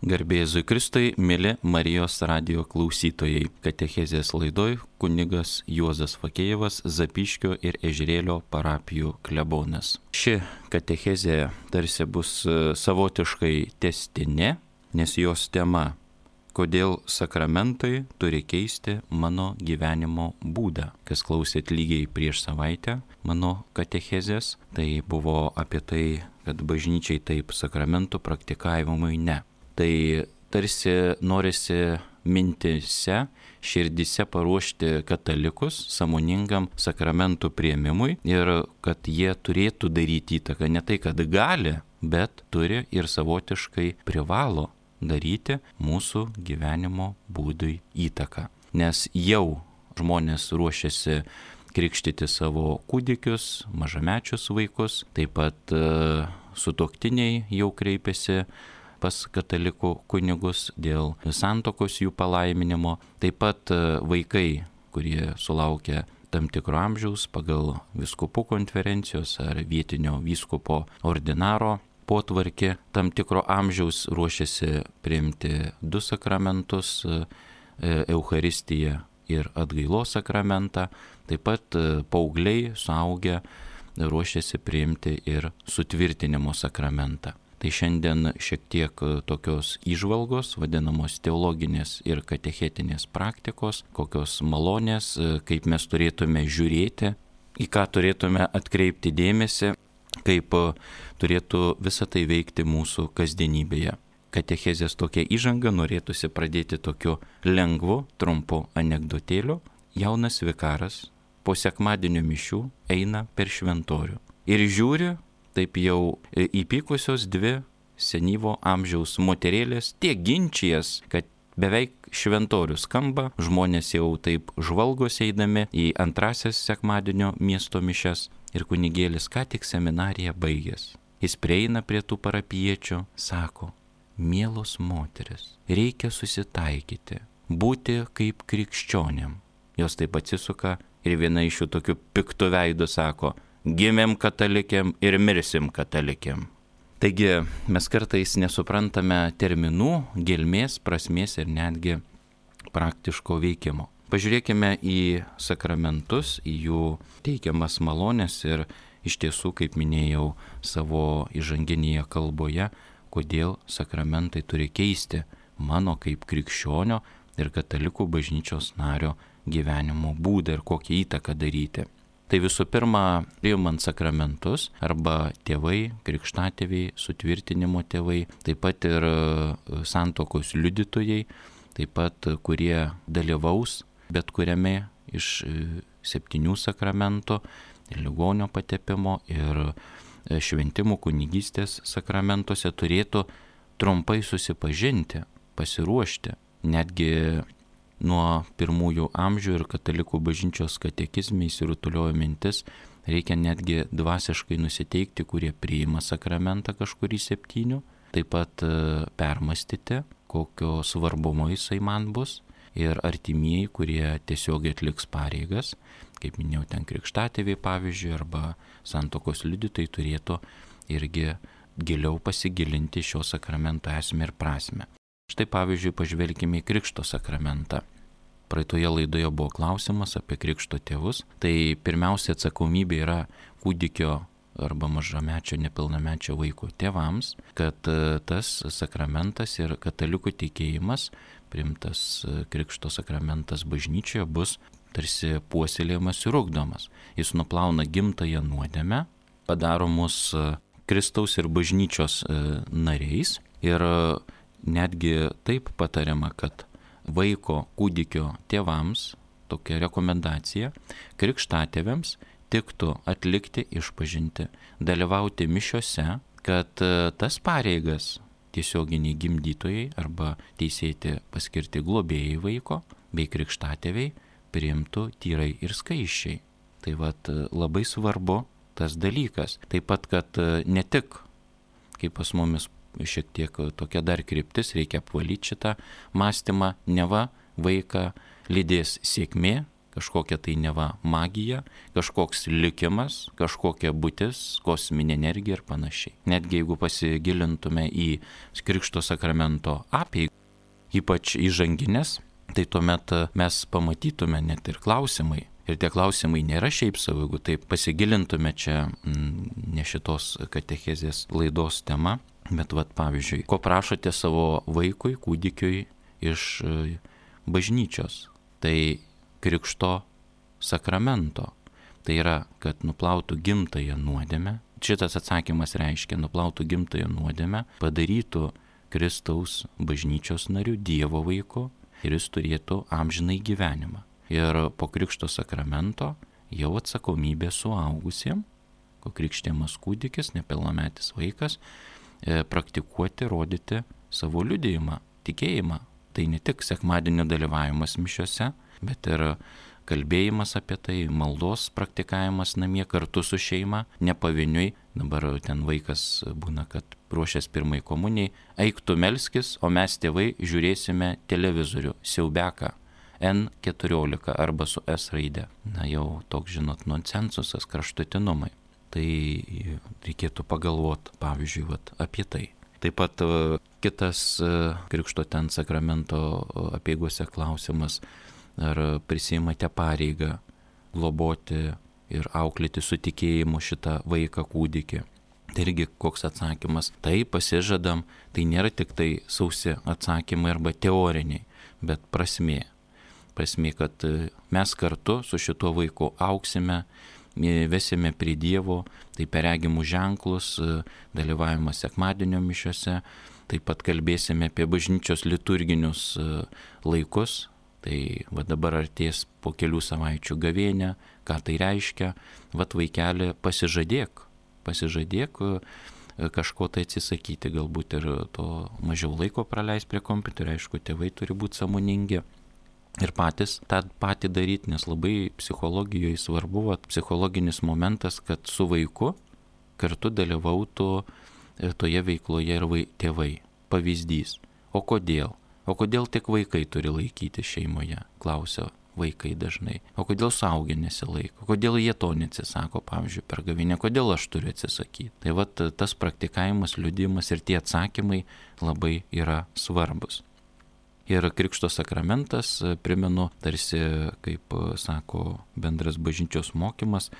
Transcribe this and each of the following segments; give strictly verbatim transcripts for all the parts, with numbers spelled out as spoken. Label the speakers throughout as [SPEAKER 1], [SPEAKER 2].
[SPEAKER 1] Garbė Jėzui Kristui, mėly Marijos radijo klausytojai. Katechezės laidoj kunigas Juozas Fakėjevas, Zapyškio ir Ežerėlio parapijų klebonas. Ši katechezė tarsi bus savotiškai tęstinė, nes jos tema – kodėl sakramentai turi keisti mano gyvenimo būdą. Kas klausėt lygiai prieš savaitę mano katechezės, tai buvo apie tai, kad bažnyčiai taip, sakramentų praktikavimui ne. Tai tarsi norisi mintise, širdise paruošti katalikus sąmoningam sakramentų priėmimui ir kad jie turėtų daryti įtaką, ne tai, kad gali, bet turi ir savotiškai privalo daryti mūsų gyvenimo būdui įtaką. Nes jau žmonės ruošiasi krikštyti savo kūdikius, mažamečius vaikus, taip pat e, sutuoktiniai jau kreipiasi pas katalikų kunigus dėl santuokos jų palaiminimo. Taip pat vaikai, kurie sulaukia tam tikro amžiaus pagal vyskupų konferencijos ar vietinio vyskupo ordinaro potvarkį, tam tikro amžiaus ruošiasi priimti du sakramentus – Eucharistiją ir atgailos sakramentą. Taip pat paaugliai, suaugę ruošiasi priimti ir sutvirtinimo sakramentą. Tai šiandien šiek tiek tokios įžvalgos, vadinamos teologinės ir katechetinės praktikos, kokios malonės, kaip mes turėtume žiūrėti, į ką turėtume atkreipti dėmesį, kaip turėtų visą tai veikti mūsų kasdienybėje. Katechezės tokia įžanga norėtųsi pradėti tokiu lengvu, trumpu anekdotėliu. Jaunas vikaras po sekmadienio mišių eina per šventorių ir žiūri, taip jau įpykusios dvi senyvo amžiaus moterėlės tiek ginčijas, kad beveik šventorius skamba, žmonės jau taip žvalgosi eidami į antrasias sekmadienio miesto mišias ir kunigėlis ką tik seminariją baigęs. Jis prieina prie tų parapiečių, sako, mielos moteris, reikia susitaikyti, būti kaip krikščionėm. Jos taip atsisuka ir viena iš jų tokių piktų veidų sako, gimėm katalikėm ir mirsim katalikėm. Taigi mes kartais nesuprantame terminų, gelmės, prasmės ir netgi praktiško veikimo. Pažiūrėkime į sakramentus, į jų teikiamas malonės ir iš tiesų, kaip minėjau savo įžanginėje kalboje, kodėl sakramentai turi keisti mano kaip krikščionio ir katalikų bažnyčios nario gyvenimo būdą ir kokią įtaką daryti. Tai visų pirma, priimant sakramentus arba tėvai, krikštatėviai, sutvirtinimo tėvai, taip pat ir santuokos liudytojai, taip pat kurie dalyvaus bet kuriame iš septynių sakramentų, ligonio patepimo ir šventimų kunigystės sakramentuose turėtų trumpai susipažinti, pasiruošti, netgi nuo pirmųjų amžių ir katalikų bažnyčios katekizme įsirutuliojo mintis, reikia netgi dvasiškai nusiteikti, kurie priima sakramentą kažkurį septynių, taip pat permastyti, kokio svarbumo jisai man bus ir artimieji, kurie tiesiog atliks pareigas, kaip minėjau, ten krikštatėviai pavyzdžiui, arba santuokos liudytojai turėtų irgi giliau pasigilinti šio sakramento esmę ir prasmę. Štai pavyzdžiui, pažvelkime į krikšto sakramentą. Praeitoje laidoje buvo klausimas apie krikšto tėvus. Tai pirmiausia atsakomybė yra kūdikio arba mažamečio, nepilnamečio vaiko tėvams, kad tas sakramentas ir katalikų tikėjimas, priimtas krikšto sakramentas bažnyčioje, bus tarsi puoselėjamas ir ugdomas. Jis nuplauna gimtąją nuodėmę, padaro mus Kristaus ir bažnyčios nariais ir netgi taip patariama, kad vaiko kūdikio tėvams, tokia rekomendacija, krikštatėviams tiktų atlikti išpažintį, dalyvauti mišiose, kad tas pareigas tiesioginiai gimdytojai arba teisėti paskirti globėjai vaiko bei krikštatėviai priimtų tyrai ir skaisčiai. Tai vat labai svarbu tas dalykas. Taip pat, kad ne tik, kaip pas mumis šiek tiek tokia dar kryptis, reikia apvalyti šitą mąstymą, neva vaiką lydės sėkmė, kažkokia tai neva magija, kažkoks likimas, kažkokia būtis, kosminė energija ir panašiai. Netgi jeigu pasigilintume į Krikšto sakramento apeigą, ypač įžanginės, tai tuomet mes pamatytume net ir klausimai. Ir tie klausimai nėra šiaip savo, jeigu taip pasigilintume čia mm, ne šitos katechezės laidos tema, bet vat pavyzdžiui, ko prašote savo vaikui, kūdikiui iš bažnyčios, tai Krikšto sakramento. Tai yra, kad nuplautų gimtąją nuodėmę. Šitas atsakymas reiškia, nuplautų gimtąją nuodėmę, padarytų Kristaus bažnyčios nariu, Dievo vaiku ir jis turėtų amžinai gyvenimą. Ir po Krikšto sakramento jau atsakomybė suaugusiem, ko krikštiamas kūdikis, nepilnametis vaikas, praktikuoti, rodyti savo liudijimą, tikėjimą. Tai ne tik sekmadienio dalyvavimas mišiose, bet ir kalbėjimas apie tai, maldos praktikavimas namie kartu su šeima, ne pavieniui. Dabar ten vaikas būna, kad ruošiasi pirmai komunijai, eik tu melskis, o mes tėvai žiūrėsime televizorių, siaubeką, en keturiolika arba su S raide. Na jau toks, žinot, nonsensusas, kraštutinumai. Tai reikėtų pagalvoti, pavyzdžiui, vat, apie tai. Taip pat kitas Krikšto ten sakramento apeigose klausimas, ar prisiimate pareigą globoti ir auklėti su tikėjimu šitą vaiką kūdikį. Tai irgi koks atsakymas. Tai pasižadam, tai nėra tik tai sausi atsakymai arba teoriniai, bet prasmė. Prasmė, kad mes kartu su šituo vaiku auksime, vesime prie Dievo, tai per regimus ženklus, dalyvavimas sekmadienio mišiose, taip pat kalbėsime apie bažnyčios liturginius laikus. Tai va dabar artės po kelių savaičių gavėnia, ką tai reiškia, va vaikeli pasižadėk, pasižadėk kažko tai atsisakyti, galbūt ir to mažiau laiko praleis prie kompiuterio, aišku, tėvai turi būti sąmoningi. Ir patys tą patį daryti, nes labai psichologijoje svarbu, va, psichologinis momentas, kad su vaiku kartu dalyvautų toje veikloje ir vai, tėvai. Pavyzdys. O kodėl? O kodėl tik vaikai turi laikyti šeimoje? Klausia vaikai dažnai. O kodėl suaugę nesilaiko? Kodėl jie to neatsisako, pavyzdžiui, per gavėnią? Kodėl aš turiu atsisakyti? Tai va tas praktikavimas, liudijimas ir tie atsakymai labai yra svarbus. Ir Krikšto sakramentas, primenu, tarsi, kaip sako bendras bažnyčios mokymas,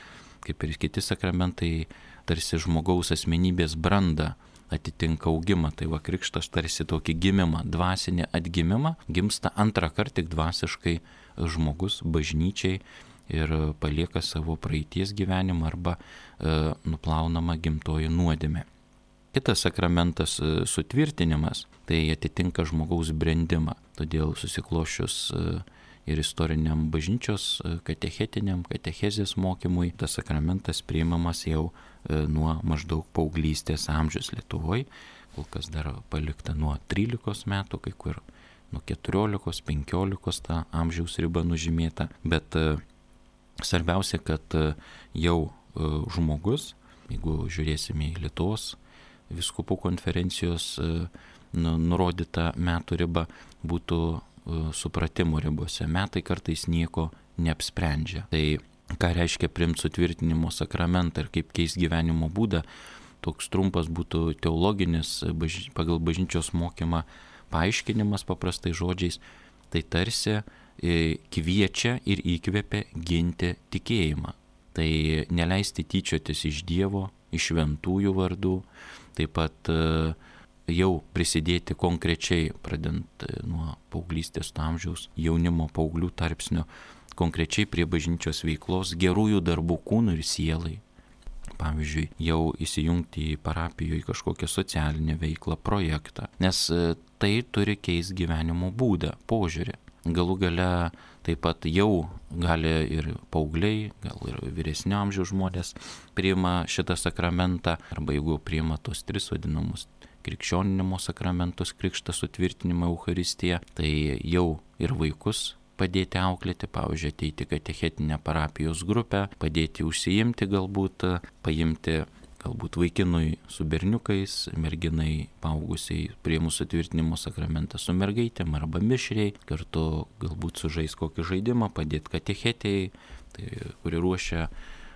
[SPEAKER 1] kaip ir kiti sakramentai, tarsi žmogaus asmenybės brandą atitinka augimą. Tai va Krikštas tarsi tokį gimimą, dvasinį atgimimą, gimsta antrą kartą tik dvasiškai žmogus bažnyčiai ir palieka savo praeities gyvenimą arba e, nuplaunama gimtoji nuodėmė. Kitas sakramentas sutvirtinimas, tai atitinka žmogaus brendimą. Todėl susiklošius ir istoriniam bažnyčios katechetiniam, katechezės mokymui, tas sakramentas priimamas jau nuo maždaug paauglystės amžiaus Lietuvoje, kol kas dar palikta nuo trylikos metų, kai kur nuo keturiolikos, penkiolikos ta amžiaus riba nužymėta. Bet svarbiausia, kad jau žmogus, jeigu žiūrėsime į Lietuvos vyskupų konferencijos nurodyta metų riba, būtų supratimo ribose. Metai kartais nieko neapsprendžia. Tai ką reiškia priimti sutvirtinimo sakramentą ir kaip keis gyvenimo būdą, toks trumpas būtų teologinis pagal bažnyčios mokymą paaiškinimas paprastai žodžiais. Tai tarsi kviečia ir įkvepia ginti tikėjimą. Tai neleisti tyčiotis iš Dievo, iš šventųjų vardų, taip pat jau prisidėti konkrečiai, pradant nuo paauglystės amžiaus, jaunimo paauglių tarpsnio, konkrečiai prie bažnyčios veiklos, gerųjų darbų kūnui ir sielai. Pavyzdžiui, jau įsijungti į parapijoje kažkokią socialinę veiklą, projektą, nes tai turi keisti gyvenimo būdą, požiūrį. Galų gale taip pat jau gali ir paaugliai, gal ir vyresnio amžiaus žmonės priima šitą sakramentą, arba jeigu priima tos tris vadinamus krikščioninimo sakramentus, krikštą, sutvirtinimą, Eucharistiją, tai jau ir vaikus padėti auklėti, pavyzdžiui, ateiti katechetinę parapijos grupę, padėti užsiimti galbūt, paimti galbūt vaikinui su berniukais, merginai paaugusiai priėmus sutvirtinimo sakramentą su mergaitėm arba mišriai, kartu galbūt sužais kokį žaidimą, padėti katechetėjai, tai kuri ruošia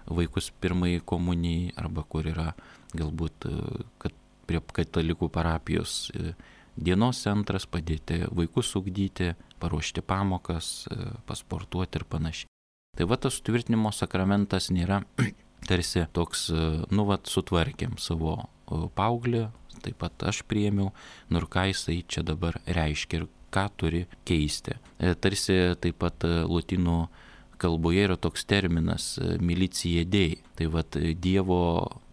[SPEAKER 1] vaikus pirmai komunijai, arba kur yra galbūt kad prie katalikų parapijos dienos centras, padėti vaikus ugdyti, paruošti pamokas, pasportuoti ir panašiai. Tai va tas sutvirtinimo sakramentas nėra tarsi toks, nu vat sutvarkėm savo paauglį, taip pat aš priėmiau, nu ir ką jisai čia dabar reiškia ir ką turi keisti. Tarsi taip pat lotynų kalboje yra toks terminas milicija dei, tai vat Dievo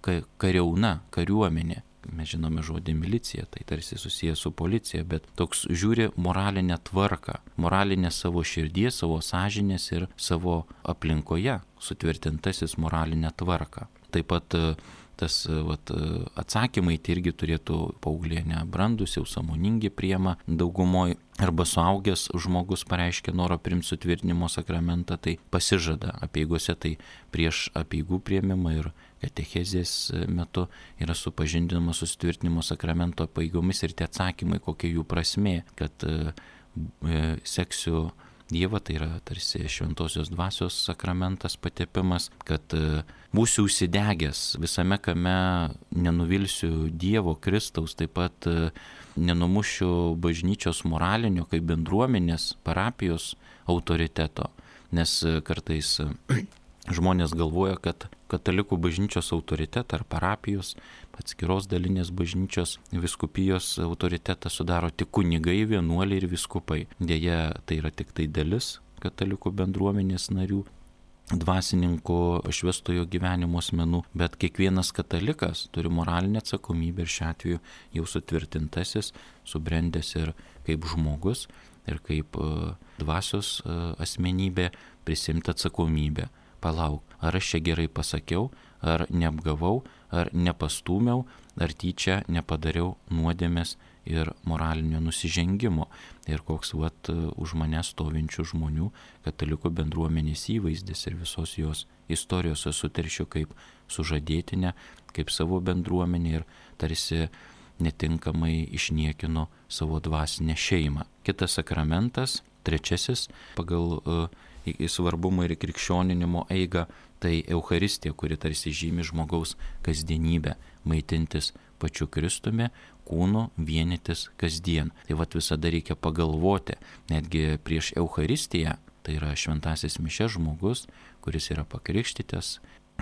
[SPEAKER 1] kariauna, kariuomenė. Mes žinome žodį milicija, tai tarsi susijęs su policija, bet toks žiūri moralinę tvarką, moralinę savo širdies, savo sąžinės ir savo aplinkoje sutvirtintasis moralinę tvarką. Taip pat tas vat, atsakymai tai irgi turėtų paauglė nebrandus, jau sąmoningi priima daugumoj, arba suaugęs žmogus pareiškia norą priimti sutvirtinimo sakramentą, tai pasižada apeigose, tai prieš apeigų priėmimą ir katechezės metu yra supažindinama su sutvirtinimo sakramento apeigomis ir tie atsakymai, kokia jų prasmė, kad e, seksiu Dievą, tai yra tarsi šventosios dvasios sakramentas patepimas, kad būsiu užsidegęs visame kame, nenuvilsiu Dievo, Kristaus, taip pat nenumušiu bažnyčios moralinio kaip bendruomenės, parapijos autoriteto, nes kartais žmonės galvoja, kad katalikų bažnyčios autoritetą ar parapijos, atskiros dalinės bažnyčios viskupijos autoritetą sudaro tik kunigai, vienuoliai ir viskupai. Deja, tai yra tik tai dalis katalikų bendruomenės narių, dvasininkų, šventojo gyvenimo asmenų, bet kiekvienas katalikas turi moralinę atsakomybę ir šiuo atveju jau sutvirtintasis, subrendęs ir kaip žmogus ir kaip dvasios asmenybė prisimti atsakomybę. Palauk, ar aš čia gerai pasakiau, ar neapgavau, ar nepastūmiau, ar tyčia nepadariau nuodėmės ir moralinio nusižengimo. Ir koks vat už mane stovinčių žmonių katalikų bendruomenės įvaizdis ir visos jos istorijos suteršiu kaip sužadėtinę, kaip savo bendruomenę ir tarsi netinkamai išniekino savo dvasinę šeimą. Kitas sakramentas, trečiasis pagal uh, svarbumą ir krikščioninimo eigą, tai Eucharistija, kuri tarsi žymi žmogaus kasdienybę, maitintis pačiu Kristumi, kūnu vienytis kasdien. Tai vat visada reikia pagalvoti, netgi prieš Eucharistiją, tai yra šventasis mišias žmogus, kuris yra pakrikštytas,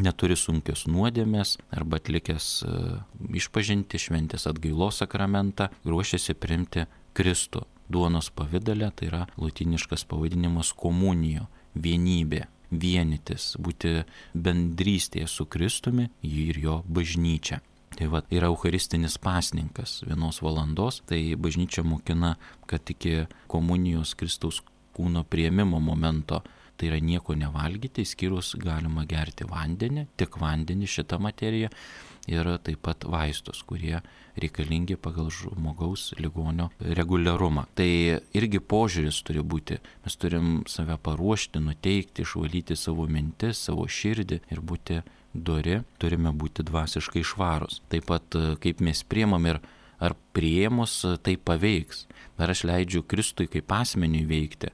[SPEAKER 1] neturi sunkios nuodėmės arba atlikęs uh, išpažintį šventės atgailos sakramentą, ruošiasi priimti Kristų. Duonos pavidale, tai yra lotyniškas pavadinimas komunijo, vienybė, vienytis, būti bendrystėje su Kristumi ir jo bažnyčia. Tai va, yra eucharistinis pasninkas vienos valandos, tai bažnyčia mokina, kad iki komunijos Kristaus kūno priėmimo momento tai yra nieko nevalgyti, išskyrus galima gerti vandenį, tik vandenį šitą materiją ir taip pat vaistus, kurie reikalingi pagal žmogaus ligonio reguliarumą. Tai irgi požiūris turi būti, mes turim save paruošti, nuteikti, išvalyti savo mintis, savo širdį ir būti dori, turime būti dvasiškai švarūs. Taip pat kaip mes priimam ir ar priėmus tai paveiks, ar aš leidžiu Kristui kaip asmeniui veikti,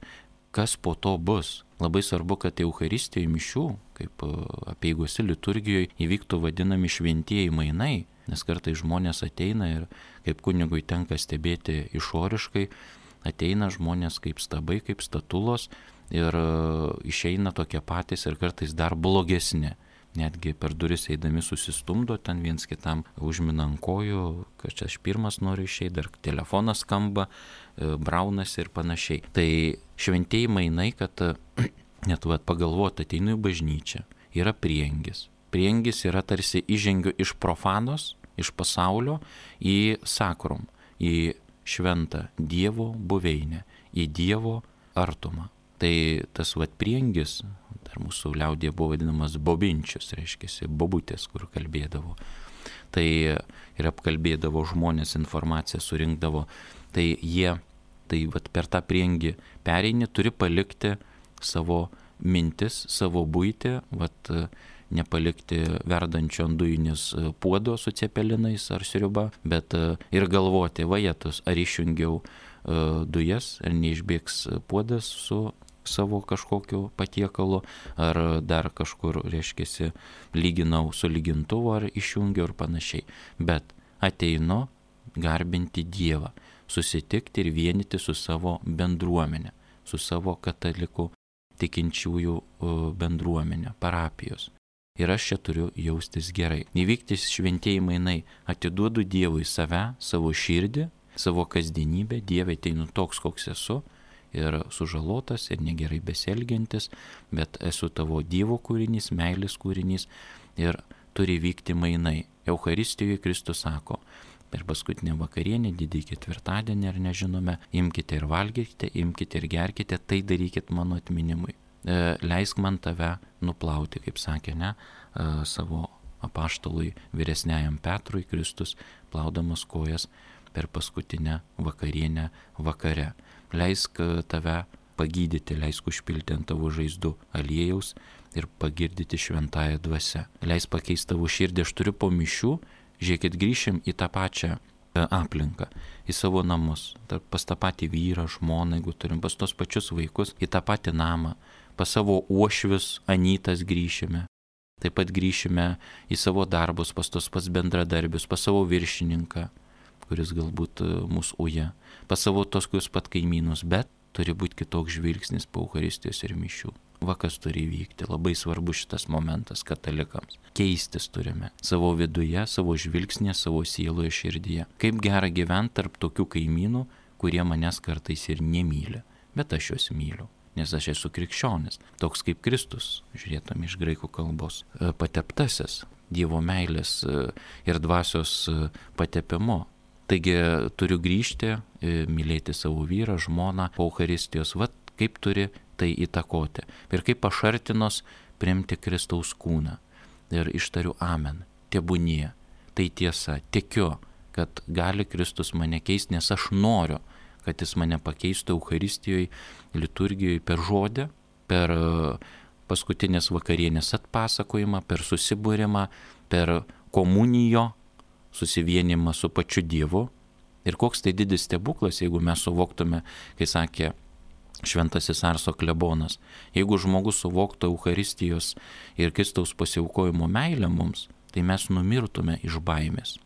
[SPEAKER 1] kas po to bus. Labai svarbu, kad Eucharistijoje mišių, kaip apeigose liturgijoje, įvyktų vadinami šventieji mainai, nes kartais žmonės ateina ir kaip kunigui tenka stebėti išoriškai, ateina žmonės kaip stabai, kaip statulos ir išeina tokie patys ir kartais dar blogesni. Netgi per duris eidami susistumdo, ten viens kitam užmina ant kojų, kad čia aš pirmas noriu išeiti, dar telefonas skamba, braunasi ir panašiai. Tai šventieji mainai, kad net vat, pagalvoti, ateinu į bažnyčią, yra priengis. Priengis yra tarsi įžengiu iš profanos, iš pasaulio į sakrum, į šventą Dievo buveinę, į Dievo artumą. Tai tas vat priengis, dar mūsų liaudėje buvo vadinamas bobinčius, reiškia, bobutės, kur kalbėdavo. Tai ir apkalbėdavo žmonės, informaciją surinkdavo. Tai jie, tai vat per tą priengį pereini, turi palikti savo mintis, savo buitį, vat nepalikti verdančio ant dujinės puodo su cepelinais ar sriuba, bet ir galvoti, vajetus, ar išjungiau dujas, ar neišbėgs puodas su savo kažkokiu patiekalu, ar dar kažkur, reiškiasi, lyginau su lygintuvu, ar išjungiau ir panašiai. Bet ateinu garbinti Dievą, susitikti ir vienyti su savo bendruomenė, su savo katalikų tikinčiųjų bendruomenė, parapijos. Ir aš čia turiu jaustis gerai. Įvykti šventieji mainai, atiduodu Dievui save, savo širdį, savo kasdienybę, Dieve ateinu toks, koks esu, ir sužalotas, ir negerai besielgiantis, bet esu tavo Dievo kūrinys, meilės kūrinys, ir turi vykti mainai. Eucharistijoje Kristus sako, per paskutinę vakarienę, didįjį ketvirtadienį, ar nežinome, imkite ir valgykite, imkite ir gerkite, tai darykit mano atminimui. E, leisk man tave nuplauti, kaip sakė, ne, e, savo apaštalui vyresniajam Petrui Kristus, plaudamas kojas per paskutinę vakarienę vakare. Leisk tave pagydyti, leisk užpilti ant tavo žaizdų aliejaus ir pagirdyti šventąją dvasią. Leisk pakeisti tavo širdį, aš turiu po mišių. Žiūrėkit, grįšim į tą pačią aplinką, į savo namus, pas tą patį vyrą, žmoną, jeigu turim, pas tos pačius vaikus, į tą patį namą, pas savo uošvius, anytas grįšime, taip pat grįšime į savo darbus, pas tos pas bendradarbius, pas savo viršininką, kuris galbūt mūsų uja, pas savo tos kus pat kaimynus, bet turi būti kitoks žvilgsnis po Eucharistijos ir mišių. Va kas turi vykti, labai svarbu šitas momentas katalikams. Keistis turime savo viduje, savo žvilgsnė, savo sieloje, širdyje. Kaip gera gyventi tarp tokių kaimynų, kurie manęs kartais ir nemyli, bet aš juos myliu, nes aš esu krikščionis, toks kaip Kristus, žiūrėtum iš graikų kalbos, pateptasis Dievo meilės ir dvasios patepimu. Taigi turiu grįžti, mylėti savo vyrą, žmoną, po Eucharistijos, vat kaip turi tai įtakoti. Ir kaip pašartinos priimti Kristaus kūną. Ir ištariu amen, tebūnie. Tai tiesa, tikiu, kad gali Kristus mane keisti, nes aš noriu, kad jis mane pakeistų Eucharistijoje, liturgijoje per žodį, per paskutinės vakarienės atpasakojimą, per susibūrimą, per komunijo, susivienimą su pačiu Dievu. Ir koks tai didis stebuklas, jeigu mes suvoktume, kai sakė šventasis Arso klebonas, jeigu žmogus suvoktų Eucharistijos ir Kristaus pasiaukojimo meilę mums, tai mes numirtume iš baimės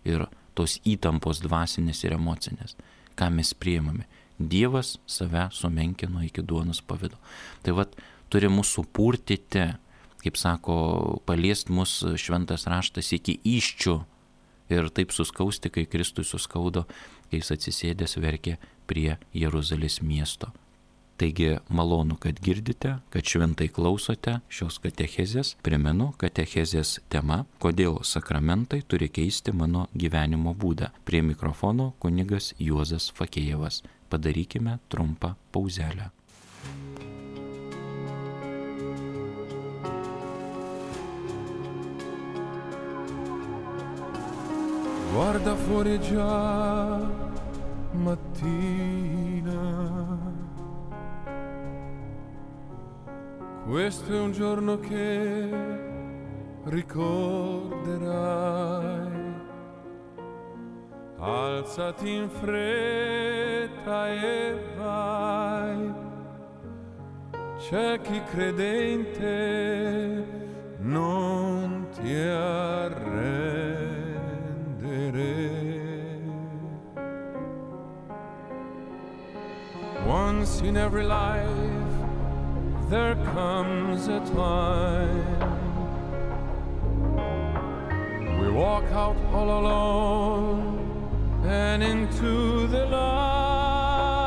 [SPEAKER 1] ir tos įtampos dvasinės ir emocinės, ką mes priimame. Dievas save sumenkino iki duonos pavido. Tai vat turi mūsų purtyti, kaip sako, paliest mus šventas raštas iki įščių ir taip suskausti, kai Kristui suskaudo, kai jis atsisėdęs verkė prie Jeruzalės miesto. Taigi malonu, kad girdite, kad šventai klausote šios katechezės. Primenu, katechezės tema, kodėl sakramentai turi keisti mano gyvenimo būdą. Prie mikrofono kunigas Juozas Fakėjevas. Padarykime trumpą pauzelę.
[SPEAKER 2] Guarda fuori già mattina, questo è un giorno che ricorderai. Alzati in fretta e vai, c'è chi credente non ti arrendere. Once in every life there comes a time we walk out all alone and into the light.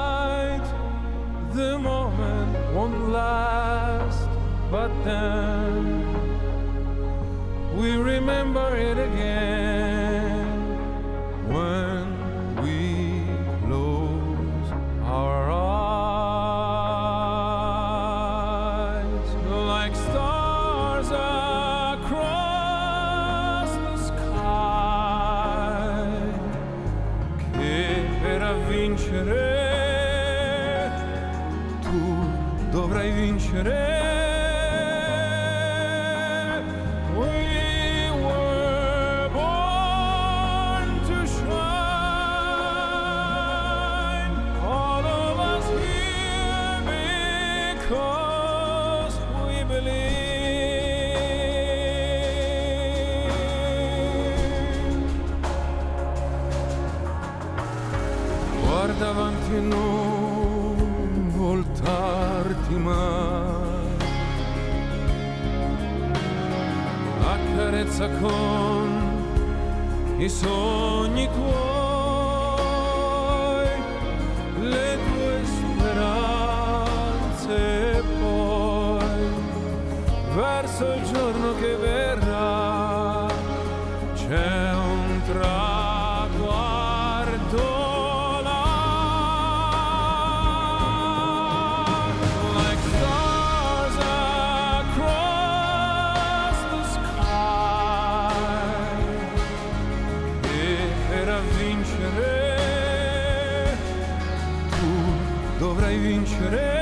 [SPEAKER 2] The moment won't last, but then we remember it again when we close our eyes. Like stars across the sky, che per vincere tu dovrai vincere. forza con i sogni tuoi, le tue speranze, e poi verso il giorno che verrà c'è un traguardo là, like stars across the sky, e per vincere tu dovrai vincere.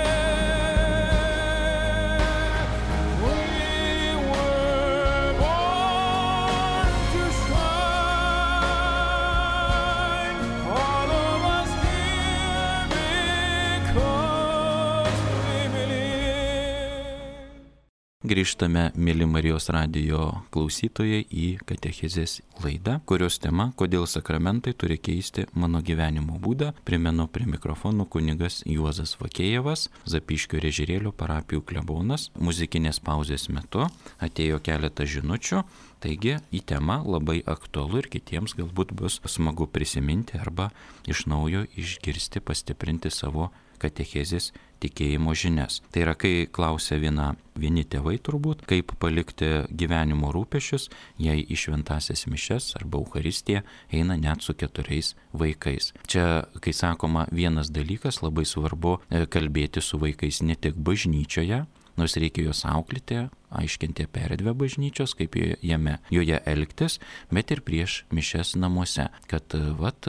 [SPEAKER 1] Grįžtame, mėly Marijos radijo klausytojai, į katechezės laidą, kurios tema "Kodėl sakramentai turi keisti mano gyvenimo būdą". Primenu, prie mikrofonų kunigas Juozas Vakėjevas, Zapyškio ir Ežerėlio parapijų klebonas. Muzikinės pauzės metu atėjo keletą žinučių, taigi į temą labai aktualu ir kitiems galbūt bus smagu prisiminti arba iš naujo išgirsti, pastiprinti savo katechezės tikėjimo žinias. Tai yra, kai klausia viena, vieni tėvai turbūt, kaip palikti gyvenimo rūpesčius, jei į šventąsias mišias arba Eucharistiją eina net su keturiais vaikais. Čia, kai sakoma vienas dalykas, labai svarbu kalbėti su vaikais ne tik bažnyčioje, nors reikia juos auklėti, aiškinti apie erdvę bažnyčios, kaip jame, joje elgtis, bet ir prieš mišias namuose, kad vat,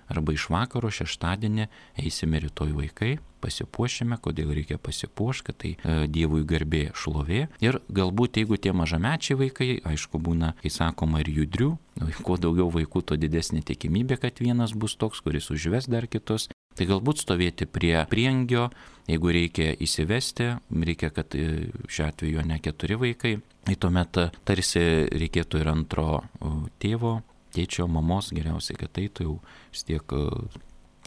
[SPEAKER 1] arba iš vakaro šeštadienį eisime rytoj vaikai, pasipuošime, kodėl reikia pasipuošti, kad tai e, Dievui garbė, šlovė. Ir galbūt jeigu tie mažamečiai vaikai, aišku būna, kai sakoma, ir judrių, kuo daugiau vaikų, to didesnė tikimybė, kad vienas bus toks, kuris užves dar kitus. Tai galbūt stovėti prie priengio, jeigu reikia įsivesti, reikia, kad šiuo atveju ne keturi vaikai, tai tuomet tarsi reikėtų ir antro tėvo, tėčio, mamos, geriausiai, kad tai tu jau vis tiek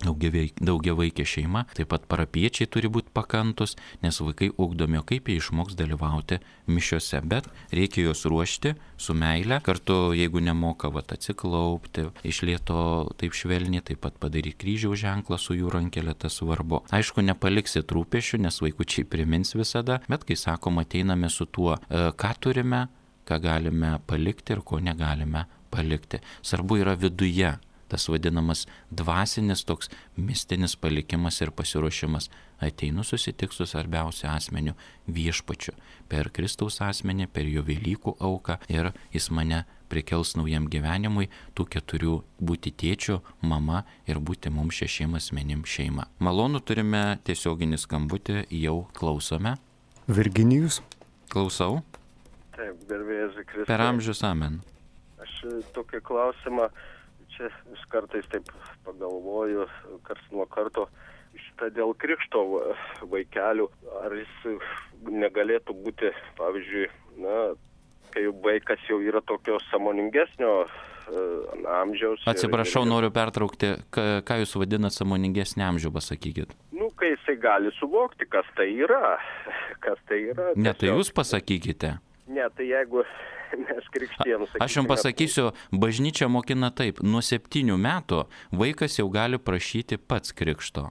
[SPEAKER 1] daugiavaikė šeima, taip pat parapiečiai turi būti pakantus, nes vaikai ugdomi, kaip jie išmoks dalyvauti mišiose, bet reikia juos ruošti su meile, kartu jeigu nemoka vat, atsiklaupti, iš lėto taip švelniai, taip pat padaryti kryžiaus ženklą su jų rankelė, tas svarbu. Aišku, nepaliksit rūpesčių, nes vaikučiai primins visada, bet kai sakom, ateiname su tuo, ką turime, ką galime palikti ir ko negalime palikti. Svarbu yra viduje. Tas vadinamas dvasinis toks mistinis palikimas ir pasiruošimas. Ateinu susitik su svarbiausiu asmeniu viešpačiu. Per Kristaus asmenį, per jo Velykų auką ir jis mane prikels naujam gyvenimui, tų keturių būti tėčiu, mama ir būti mums šešiem asmenim šeima. Malonu, turime tiesioginį skambutį, jau klausome.
[SPEAKER 3] Virginijus.
[SPEAKER 1] Klausau.
[SPEAKER 4] Taip, garbėjas Kristus.
[SPEAKER 1] Per amžius amen.
[SPEAKER 4] Aš tokį klausimą čia vis kartais taip pagalvoju, karts nuo karto, šitą dėl krikšto vaikelių, ar jis negalėtų būti, pavyzdžiui, na, kai vaikas jau yra tokio sąmoningesnio uh, amžiaus.
[SPEAKER 1] Atsiprašau,
[SPEAKER 4] ir, ir,
[SPEAKER 1] noriu pertraukti, ką, ką jūs vadinat sąmoningesnį amžių, pasakykit.
[SPEAKER 4] Nu, kai jisai gali suvokti, kas tai yra, kas tai yra.
[SPEAKER 1] Ne, tai jūs pasakykite.
[SPEAKER 4] Ne, tai jeigu mes krikštiem sakysime.
[SPEAKER 1] Aš jums pasakysiu, bažnyčia mokina taip, nuo septynių metų vaikas jau gali prašyti pats krikšto.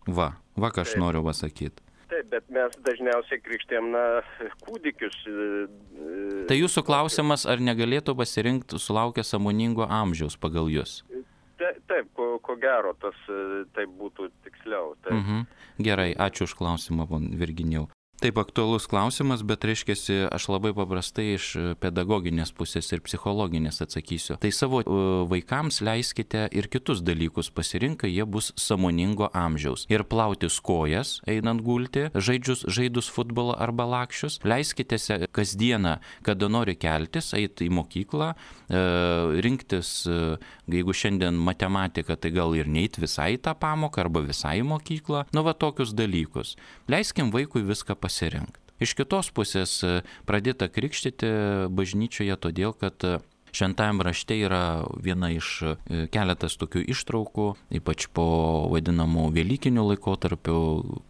[SPEAKER 1] Va, va ką aš taip noriu pasakyti.
[SPEAKER 4] Taip, bet mes dažniausiai krikštėm, na, kūdikius.
[SPEAKER 1] Tai jūsų klausimas, ar negalėtų pasirinkti sulaukę sąmoningo amžiaus pagal jūs?
[SPEAKER 4] Taip, taip ko, ko gero, tas taip būtų tiksliau. Taip.
[SPEAKER 1] Mhm. Gerai, ačiū už klausimą, Virginijau. Taip, aktualus klausimas, bet reiškiasi, aš labai paprastai iš pedagoginės pusės ir psichologinės atsakysiu. Tai savo vaikams leiskite ir kitus dalykus pasirinkai, jie bus sąmoningo amžiaus. Ir plautis kojas, einant gulti, žaidžius, žaidus futbolą arba lakščius. Leiskite kasdieną, kada nori keltis, eiti į mokyklą, rinktis, jeigu šiandien matematika, tai gal ir neit visai tą pamoką arba visai į mokyklą. Nu, va tokius dalykus. Leiskim vaikui viską pasirinkti. Iš kitos pusės pradėta krikštyti bažnyčioje todėl, kad šventajam rašte yra viena iš keletas tokių ištraukų, ypač po vadinamų velykinių laikotarpių,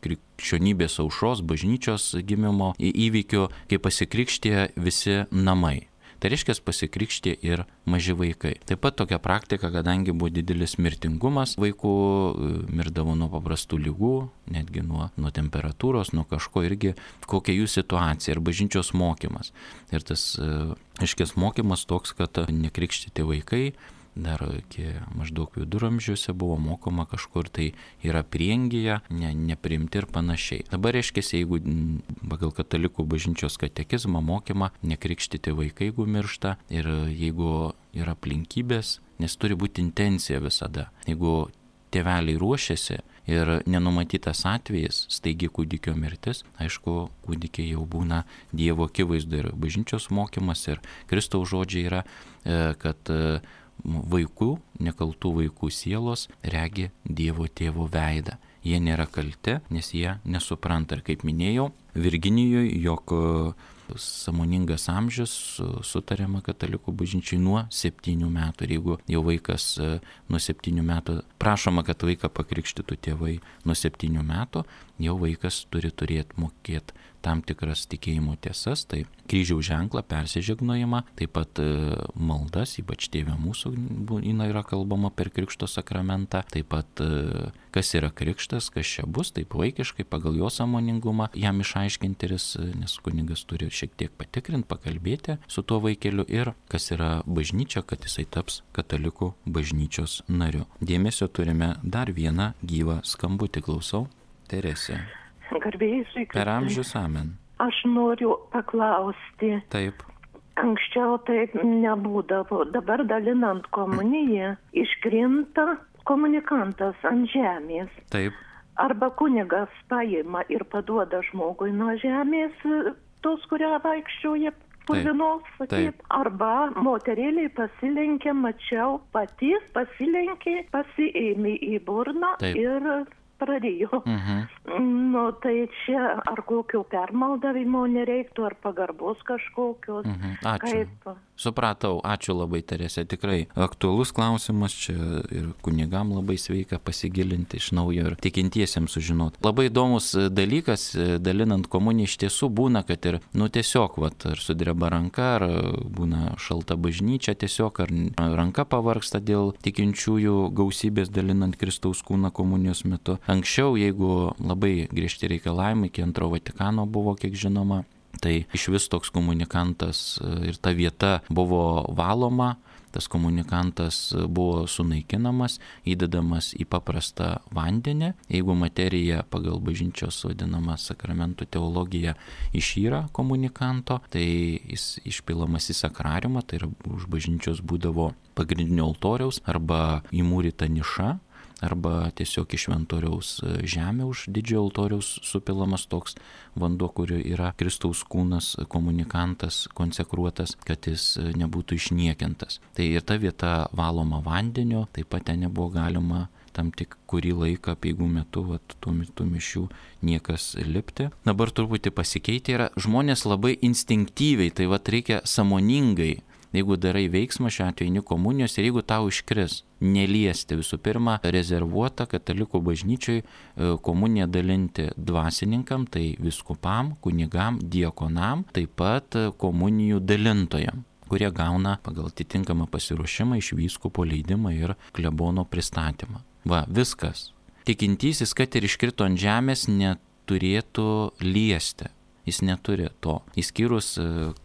[SPEAKER 1] krikščionybės aušros, bažnyčios gimimo įvykių, kai pasikrikštė visi namai. Tai reiškia pasikrikštė ir maži vaikai. Taip pat tokia praktika, kadangi buvo didelis mirtingumas vaikų, mirdavo nuo paprastų lygų, netgi nuo, nuo temperatūros, nuo kažko irgi, kokia jų situacija ir bažnyčios mokymas. Ir tas, aiškės, mokymas toks, kad nekrikštyti vaikai, dar iki maždaug viduramžiuose buvo mokoma kažkur tai yra prieangyje, ne, nepriimti ir panašiai. Dabar reiškia, jeigu pagal katalikų bažnyčios katekizmą mokymą nekrikštyti vaikai, jeigu miršta, ir jeigu yra aplinkybės, nes turi būti intencija visada. Jeigu tėveliai ruošiasi ir nenumatytas atvejis, staigi kūdikio mirtis, aišku, kūdikiai jau būna Dievo akivaizdu ir bažnyčios mokymas ir Kristaus žodžiai yra, kad vaikų, nekaltų vaikų sielos regi Dievo tėvo veidą. Jie nėra kalti, nes jie nesupranta. Ir kaip minėjau, Virginijoje, jog sąmoningas amžius sutariama katalikų bažnyčiai nuo septynių metų. Ir jeigu jau vaikas nuo septynių metų, prašoma, kad vaiką pakrikštytų tėvai nuo septynių metų, jau vaikas turi turėti mokėti tam tikras tikėjimo tiesas, tai kryžiaus ženklą, persižegnojimą, taip pat maldas, ypač Tėve mūsų yra kalbama per Krikšto sakramentą, taip pat kas yra krikštas, kas čia bus, taip vaikiškai pagal jo sąmoningumą jam išaiškinti, nes kunigas turi šiek tiek patikrinti, pakalbėti su tuo vaikeliu ir kas yra bažnyčia, kad jisai taps katalikų bažnyčios nariu. Dėmesio turime dar vieną gyvą skambutį, klausau. Teresė.
[SPEAKER 3] Garbėjai,
[SPEAKER 1] per amžius, amen.
[SPEAKER 3] Aš noriu paklausti.
[SPEAKER 1] Taip.
[SPEAKER 3] Anksčiau taip nebūdavo. Dabar dalinant komuniją iškrinta komunikantas ant žemės.
[SPEAKER 1] Taip.
[SPEAKER 3] Arba kunigas paima ir paduoda žmogui nuo žemės, tos, kurią vaikščioja purvinos, sakyt. Arba moterėliai pasilenkė, mačiau, pati pasilenkė, pasiėmė į burną.
[SPEAKER 1] Taip.
[SPEAKER 3] Ir pradėjo.
[SPEAKER 1] Mhm.
[SPEAKER 3] Nu, tai čia ar kokio permaldavimo nereiktų, ar pagarbos kažkokios.
[SPEAKER 1] Mhm. Ačiū.
[SPEAKER 3] Kaip?
[SPEAKER 1] Supratau, ačiū labai, Teresė, tikrai aktualus klausimas čia ir kunigam labai sveika pasigilinti iš naujo ir tikintiesiems sužinoti. Labai įdomus dalykas, dalinant komuniją, iš tiesų būna, kad ir, nu tiesiog, vat, ar sudreba ranka, ar būna šalta bažnyčia tiesiog, ar ranka pavargsta dėl tikinčiųjų gausybės dalinant Kristaus kūną komunijos metu. Anksčiau, jeigu labai griežti reikalavimai, iki antro Vatikano buvo, kiek žinoma, tai iš vis toks komunikantas ir ta vieta buvo valoma, tas komunikantas buvo sunaikinamas, įdedamas į paprastą vandenį. Jeigu materija pagal bažnyčios vadinamą sakramentų teologiją išyra komunikanto, tai jis išpilamas į sakrariumą, tai yra už bažnyčios būdavo pagrindinio altoriaus arba įmūryta niša, arba tiesiog iš šventoriaus žemė už didžiojo altoriaus supilamas toks vanduo, kurio yra Kristaus kūnas, komunikantas, konsekruotas, kad jis nebūtų išniekintas. Tai ir ta vieta valoma vandeniu, taip pat ten nebuvo galima tam tik kurį laiką peigų metu, vat, tų, tų mišių niekas lipti. Dabar truputį pasikeitė yra, žmonės labai instinktyviai, tai vat reikia sąmoningai, jeigu darai veiksmą, šiuo atveju eini komunijos ir jeigu tau iškris, neliesti visų pirma rezervuota katalikų bažnyčiai komuniją dalinti dvasininkam, tai vyskupam, kunigam, diakonam, taip pat komunijų dalintojam, kurie gauna pagal atitinkamą pasiruošimą iš vyskupo leidimą ir klebono pristatymą. Va, viskas. Tikintysis, kad ir iškrito ant žemės, neturėtų liesti. Jis neturi to. Įskyrus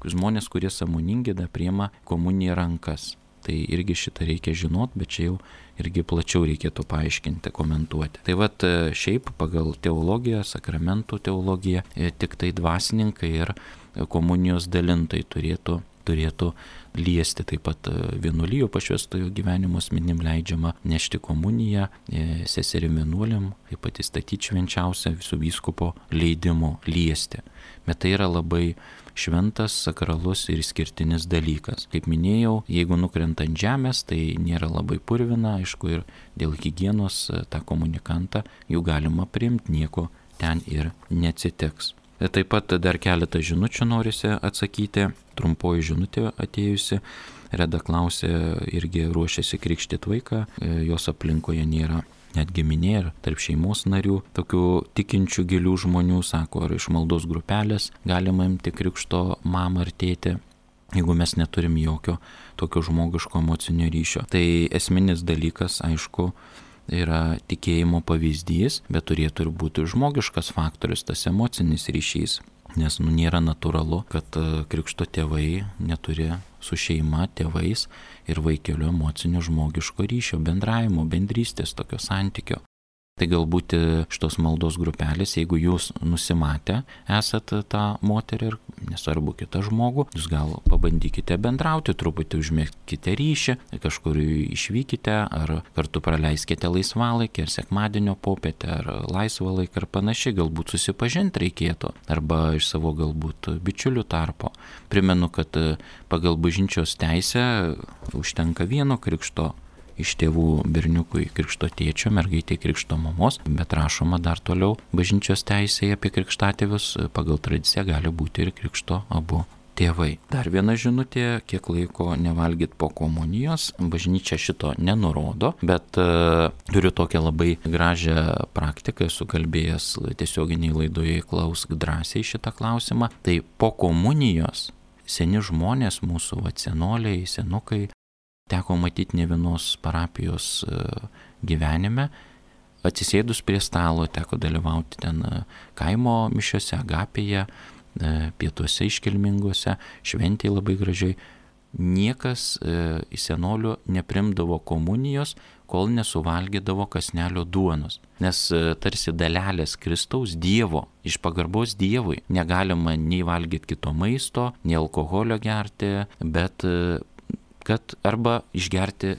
[SPEAKER 1] žmonės, kurie sąmoningi da priima komuniją rankas. Tai irgi šitą reikia žinot, bet čia jau irgi plačiau reikėtų paaiškinti, komentuoti. Tai vat šiaip pagal teologiją, sakramentų teologiją, tik tai dvasininkai ir komunijos dalintojai turėtų, turėtų liesti. Taip pat vienuolijų pašvęstojo gyvenimo asmenim leidžiama nešti komuniją, seserim vienuoliam, taip pat įstatyti švenčiausią visų vyskupo leidimo liesti. Bet tai yra labai šventas, sakralus ir išskirtinis dalykas. Kaip minėjau, jeigu nukrenta ant žemės, tai nėra labai purvina, aišku, ir dėl higienos tą komunikantą jau galima priimti, nieko ten ir neatsitiks. Taip pat dar keletą žinučių norisi atsakyti. Trumpoji žinutė atėjusi. Reda klausė, irgi ruošiasi krikštyti vaiką, jos aplinkoje nėra net giminė ir tarp šeimos narių, tokių tikinčių gilių žmonių, sako, ar iš maldos grupelės galima imti krikšto mamą ar tėtį. jeigu mes neturim jokio tokio žmogiško emocinio ryšio. Tai esminis dalykas, aišku, yra tikėjimo pavyzdys, bet turėtų ir būti žmogiškas faktorius, tas emocinis ryšys. Nes nu, nėra natūralu, kad krikšto tėvai neturi su šeima, tėvais ir vaikeliu emocinio žmogiško ryšio, bendravimo, bendrystės, tokio santykio. Tai galbūt šitos maldos grupelės, jeigu jūs nusimatę esat tą moterį ir nesvarbu kitą žmogų, jūs gal pabandykite bendrauti, truputį užmėgkite ryšį, kažkur išvykite ar kartu praleiskite laisvalaikį ar sekmadienio popietę ar laisvą laiką ar panašiai, galbūt susipažinti reikėtų arba iš savo galbūt bičiulių tarpo. Primenu, kad pagal bažnyčios teisę užtenka vieno krikšto iš tėvų berniukui krikšto tėčio, mergaitė krikšto mamos, bet rašoma dar toliau bažnyčios teisėje apie krikštatėvius, pagal tradiciją gali būti ir krikšto abu tėvai. Dar viena žinutė, kiek laiko nevalgyt po komunijos, bažnyčia šito nenurodo, bet uh, turiu tokią labai gražią praktiką, esu kalbėjęs tiesioginiai laidoje, klausk drąsiai šitą klausimą. Tai po komunijos seni žmonės, mūsų va, senoliai, senukai, teko matyti ne vienos parapijos gyvenime, atsisėdus prie stalo, teko dalyvauti ten kaimo mišiose, agapėje, pietuose iškilminguose, šventėje labai gražiai. Niekas į senolių neprimdavo komunijos, kol nesuvalgydavo kąsnelio duonos. Nes tarsi dalelės Kristaus Dievo, iš pagarbos Dievui, negalima nei valgyti kito maisto, nei alkoholio gerti, bet kad arba išgerti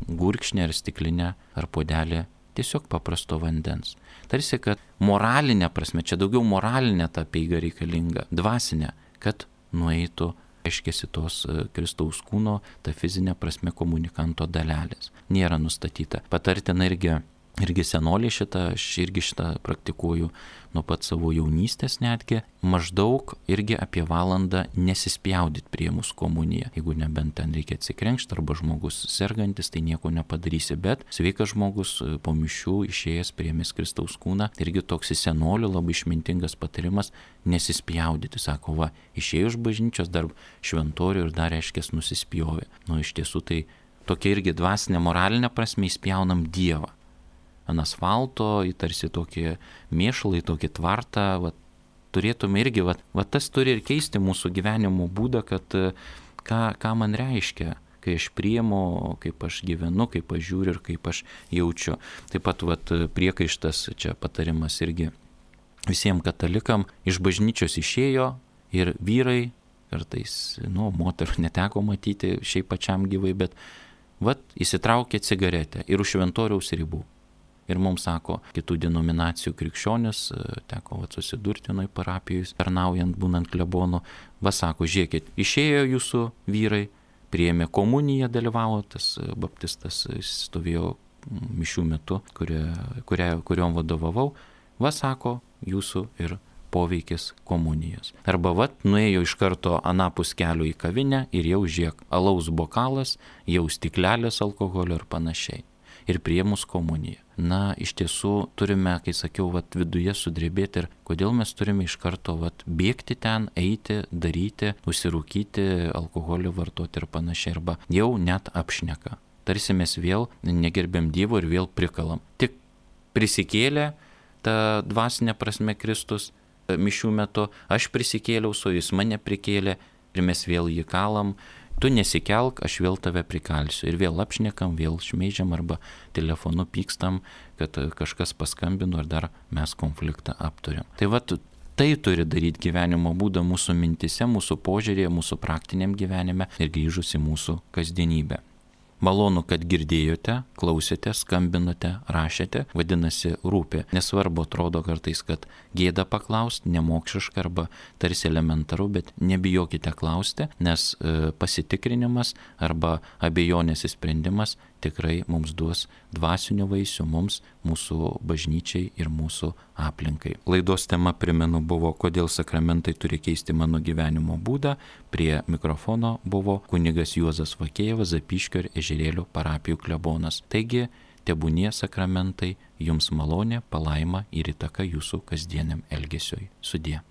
[SPEAKER 1] gurkšnį ar stiklinę ar puodelį tiesiog paprasto vandens. Tarsi, kad moralinė prasme, čia daugiau moralinė ta apeiga reikalinga, dvasinė, kad nueitų, aiškėsi tos Kristaus kūno, ta fizinė prasme komunikanto dalelės. Nėra nustatyta. Patartina irgi, irgi senoliai šitą, aš irgi šitą praktikuoju nuo pat savo jaunystės netgi, maždaug irgi apie valandą nesispjaudyti prie mūsų komuniją. Jeigu nebent ten reikia atsikrenkšti arba žmogus sergantis, tai nieko nepadarysi, bet sveikas žmogus po mišių išėjęs priėmęs Kristaus kūną, irgi toks į senolių labai išmintingas patarimas nesispjaudyti. Sako, va, išėjo iš bažnyčios dar šventorių ir dar reiškės nusispjovė. Nu, iš tiesų tai tokia irgi dvasinė, moralinė prasme įspjaunam Dievą. Ant asfalto, į tarsi tokį mėšlą, į tokį tvartą, va, turėtume irgi, va, va tas turi ir keisti mūsų gyvenimo būdą, kad ką, ką man reiškia, kai aš priimu, kaip aš gyvenu, kaip aš žiūriu ir kaip aš jaučiu. Taip pat va, priekaištas, čia patarimas irgi visiems katalikam, iš bažnyčios išėjo ir vyrai, kartais, nu, moterų neteko matyti šiaip pačiam gyvai, bet va, įsitraukė cigaretę ir už šventoriaus ribų. Ir mums sako, kitų denominacijų krikščionis, teko va, susidurti nuo parapijus, tarnaujant, būnant klebonu, va sako, žiūrėkit, išėjo jūsų vyrai, priėmė komuniją, dalyvavo, tas baptistas stovėjo mišių metu, kuria, kuria, kuriom vadovavau, va sako, jūsų ir poveikis komunijos. Arba va, nuėjo iš karto anapus kelio į kavinę ir jau žiek, alaus bokalas, jau stiklelės alkoholio ir panašiai. Ir priėmus komuniją. Na, iš tiesų turime, kai sakiau, vat, viduje sudrebėti ir kodėl mes turime iš karto vat, bėgti ten, eiti, daryti, užsirūkyti, alkoholį vartoti ir panašiai, arba jau net apšneka. Tarsi mes vėl negerbėm Dievo ir vėl prikalam. Tik prisikėlė ta dvasinė prasme Kristus mišių metu, aš prisikėliau, su jis mane prikėlė ir mes vėl jį kalam. Tu nesikelk, aš vėl tave prikalsiu. Ir vėl apšnekam, vėl šmeižiam arba telefonu pykstam, kad kažkas paskambino ir dar mes konfliktą aptariam. Tai va, tai turi daryti gyvenimo būdą mūsų mintise, mūsų požiūrėje, mūsų praktiniam gyvenime ir grįžus į mūsų kasdienybę. Malonu, kad girdėjote, klausėte, skambinote, rašėte, vadinasi rūpi. Nesvarbu, atrodo kartais, kad gėda paklausti, nemokšiška arba tarsi elementaru, bet nebijokite klausti, nes e, pasitikrinimas arba abejonės įsprendimas tikrai mums duos dvasinių vaisių mums, mūsų bažnyčiai ir mūsų aplinkai. Laidos tema, primenu, buvo, kodėl sakramentai turi keisti mano gyvenimo būdą. Prie mikrofono buvo kunigas Juozas Vakėjevas, Zapyškio ir Ežerėlio parapijų klebonas. Taigi, tebūnie sakramentai jums malonė, palaima ir įtaka jūsų kasdieniam elgesiui. Sudie.